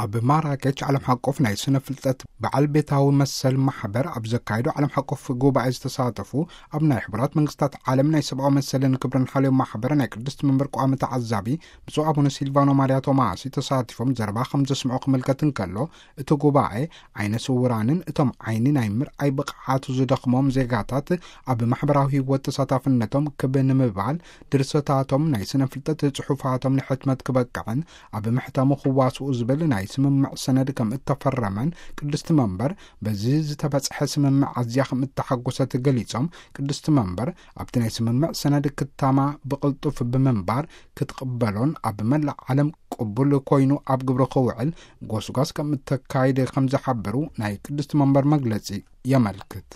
ኣብ ማራኬች ዓለም ሓቆፍ ናይ ስነ ፍልጠት በዓል ቤታዊ መሰል ማሕበር ኣብ ዘካየዶ ዓለም ሓቆፍ ጉባኤ ዝተሳተፉ ኣብ ናይ ሕቡራት መንግስታት ዓለም ናይ ሰብኣዊ መሰልን ክብርን ሓልዮ ማሕበር ናይ ቅድስቲ መንበር ቋሚ ተዓዛቢ ብፁዕ ኣቡነ ሲልቫኖ ማርያ ቶማሲ ተሳቲፎም ዘረባ ከም ዘስምዑ ክምልከት እንከሎ፣ እቲ ጉባኤ ዓይነ ስውራንን እቶም ዓይኒ ናይ ምርኣይ ብቕዓቱ ዝደኽሞም ዜጋታት ኣብ ማሕበራዊ ህይወት ተሳታፍነቶም ክብ ንምባል፣ ድርሰታቶም፣ ናይ ስነ ፍልጠት ጽሑፋቶም ንሕትመት ክበቅዕን ኣብ ምሕታሙ ክዋስኡ ዝብል ናይ ስምምዕ ሰነድ ከም እተፈረመን፣ ቅድስቲ መንበር በዚ ዝተበጽሐ ስምምዕ ኣዝያ ከም እተሓጎሰት ገሊጾም፣ ቅድስቲ መንበር ኣብቲ ናይ ስምምዕ ሰነድ ክታማ ብቕልጡፍ ብምንባር ክትቕበሎን ኣብ መላእ ዓለም ቅቡል ኮይኑ ኣብ ግብሪ ክውዕል ጎስጓስ ከም እተካይድ ከም ዝሓበሩ ናይ ቅድስቲ መንበር መግለጺ የመልክት።